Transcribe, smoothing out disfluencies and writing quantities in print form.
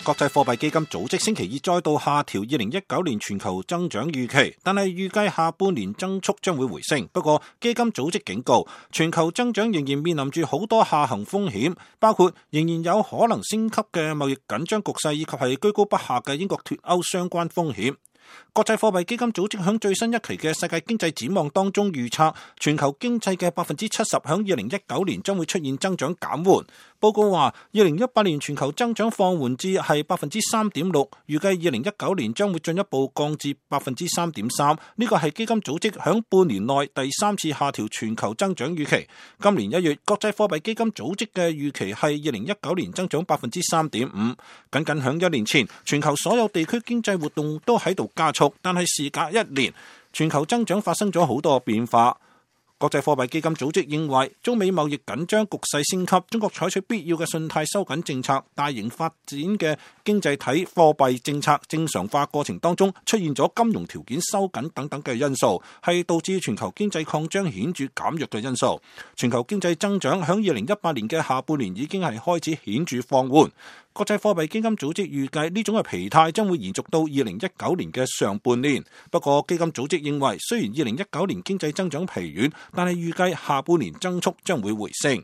國際貨幣基金組織星期二再度下調2019年全球增長預期，但係預計下半年增速將會回升。不過基金組織警告，全球增長仍然面臨住好多下行風險，包括仍然有可能升級嘅貿易緊張局勢，以及係居高不下嘅英國脫歐相關風險。國際貨幣基金組織響最新一期嘅世界經濟展望當中預測，全球經濟嘅70%響2019年將會出現增長減緩。報告話，2018年全球增長放緩至係3.6%，預計2019年將會進一步降至3.3%。呢個係基金組織響半年內第三次下調全球增長預期。今年1月，國際貨幣基金組織嘅預期係2019年增長3.5%。僅響1年前，全球所有地區經濟活動都喺度加速，但係時隔1年，全球增長發生咗好多變化。國際貨幣基金組織認為，中美貿易緊張局勢升級，中國採取必要嘅信貸收緊政策，大型發展嘅經濟體貨幣政策正常化過程當中出現咗金融條件收緊等等嘅因素，係導致全球經濟擴張顯著減弱嘅因素。全球經濟增長響2018年嘅下半年已經係開始顯著放緩。國際貨幣基金組織預計呢種嘅疲態將會延續到2019年嘅上半年。不過基金組織認為，雖然2019年經濟增長疲軟，但係預計下半年增速將會回升。